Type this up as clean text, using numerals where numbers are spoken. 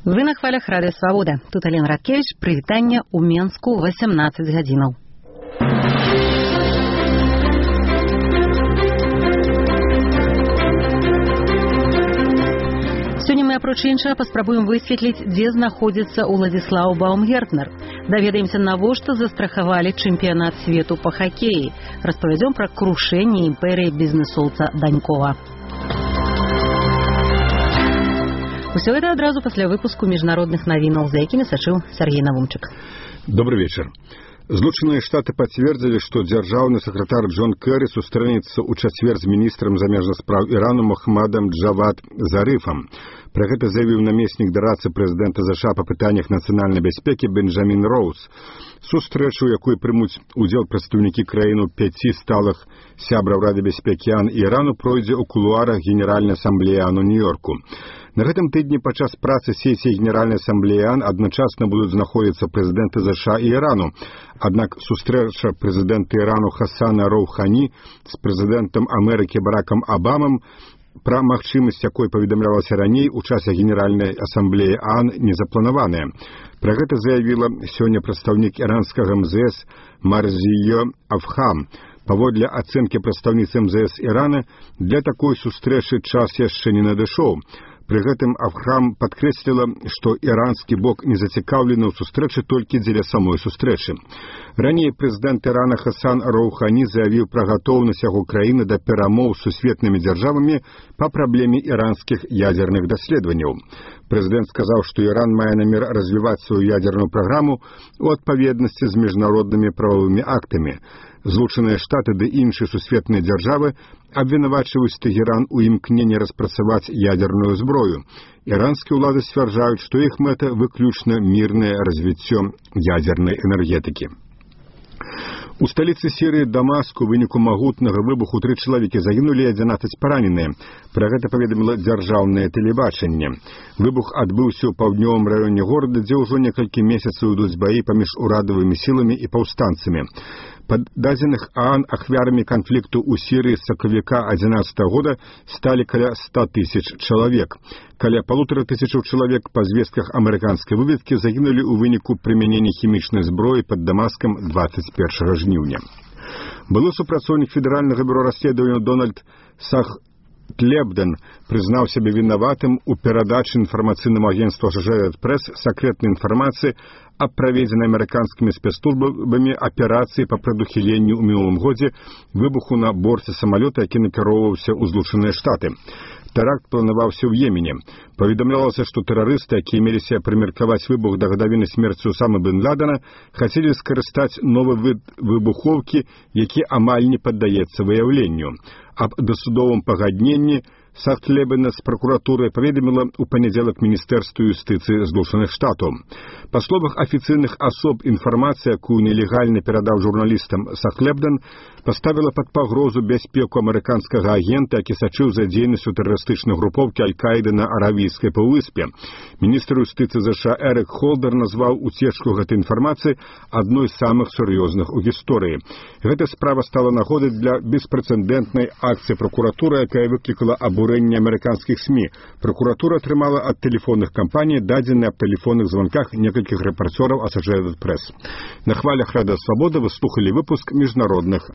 Вы на хвалях Радыё Свабода. Тут Алена Радкевич. Прывітанне ў Менску 18 гадзінаў. Сёння мы, апроч іншага, паспрабуем высветліць, дзе знаходзіцца Уладзіслаў Баумгертнер. Даведаемся, навошта застрахавалі чэмпіянат свету па хакеі. Распавядзём пра крушэнне імперыі бізнэсоўца Данькова. Усё гэта адразу пасля выпуску міжнародных навінаў, за якімі сачыў Сергей Навумчык. Добрый вечер. Злучаныя Штаты пацвердзілі, што дзяржаўны сакратар Джон Кэры сустрэнецца ў чацвер з міністрам замежных спраў Ірану Мохаммадам Джавад Зарыфам. Пра гэта заявіў намеснік дарадцы прэзідэнта США па пытаннях нацыянальнай бяспекі Бенджамін Роуз. Сустрэчу, у якой прымуць удзел прадстаўнікі краіну 5 сталых сябраў Рады бяспекі АН і Ірану, пройдзе ў кулуарах Генеральнай асамблеі АН у Нью-Йорку. На гэтым тыдні падчас працы сесіі Генеральнай асамблеі АН адначасна будуць знаходзіцца прэзідэнты США і Ірану. Аднак сустрэча прэзідэнта Ірану Хасана Роухані з прэзідэнтам Амерыкі Баракам Абамам, пра магчымасць якой паведамлялася раней у часе Генеральнай асамблеі АН, не запланаваная. Пра гэта заявіла сёння прадстаўнік іранскага МЗС Марзіё Афхам. Паводле ацэнкі прадстаўніцы МЗС Ірана, для такой сустрэчы час яшчэ не надышоў. Пры гэтым Афхам падкрэсліла, што іранскі бок не зацікаўлены ў сустрэчы толькі дзеля самой сустрэчы. Раней прэзідэнт Ірана Хасан Роухані заявіў пра гатоўнасць яго краіны да перамоў з сусветнымі дзяржавамі па праблеме іранскіх ядзерных даследаванняў. Прэзідэнт сказаў, што Іран мае намер развіваць сваю ядзерную праграму ў адпаведнасці з міжнароднымі прававымі актамі. Злучаныя Штаты ды іншыя сусветныя дзяржавы абвінавачваюць Тэгеран у імкненні распрацаваць ядерную зброю. Іранскія ўлады сцвярджаюць, што іх мэта выключна мірнае развіццё ядернай энергетыкі. У сталіцы Сірыі Дамаску ў выніку магутнага выбуху 3 чалавекі загінулі, 11 параненыя. Пра гэта паведаміла дзяржаўнае тэлебачанне. Выбух адбыўся ў паўднёвым раёне горада, дзе ўжо некалькі месяцаў ідуць баі паміж урадавымі сіламі і паўстанцамі. Па дадзеных ААН ахвярамі канфлікту ў Сірыі з сакавіка 2011 года сталі каля 100 000 чалавек. Каля 1500 чалавек, па звестках амерыканскай выведкі, загінулі ў выніку прымянення хімічнай зброі пад Дамаскам 21 жніўня. Былы супрацоўнік федэральнага бюро расследавання Дональд Сахтлебден прызнаў сябе вінаватым у перадачы інфармацыйнаму агенцтву Associated Press сакрэтнай інфармацыі аб праведзенай амерыканскімі спецслужбамі аперацыі па прадухіленню ў мінулым годзе выбуху на борце самалёта, які накіроўваўся ў Злучаныя Штаты. Тэракт планаваўся ў Йемене. Паведамлялася, што тэрарысты, якія меліся прымеркаваць выбух да гадавіны смерці Усамы бен Ладена, хацелі скарыстаць новы від выбухоўкі, які амаль не паддаецца выяўленню. Аб дасудовым пагадненні Сахтлебена з пракуратурай паведаміла ў панядзелак Міністэрства юстыцыі Злучаных Штатаў. Па словах афіцыйных асоб, інфармацыя, якую нелегальна перадаў журналістам Сахтлебден, паставіла пад пагрозу бяспеку амерыканскага агента, які сачыў за дзейнасцю тэрарыстычнай групоўкі Аль-Каіды на Аравійскай паўвыспе. Міністр юстыцыі США Эрик Холдер назваў уцечку гэтай інфармацыі адной з самых сур'ёзных у гісторыі. Гэта справа стала нагодай для беспрэцэдэнтнай акцыі пракуратуры, якая выклікала абурэнне амерыканскіх СМІ. Пракуратура атрымала ад тэлефонных кампаній дадзеныя аб тэлефонных званках некалькіх рэпарцёраў Associated Press. На хвалях Радыё Свабода вы слухалі выпуск міжнародных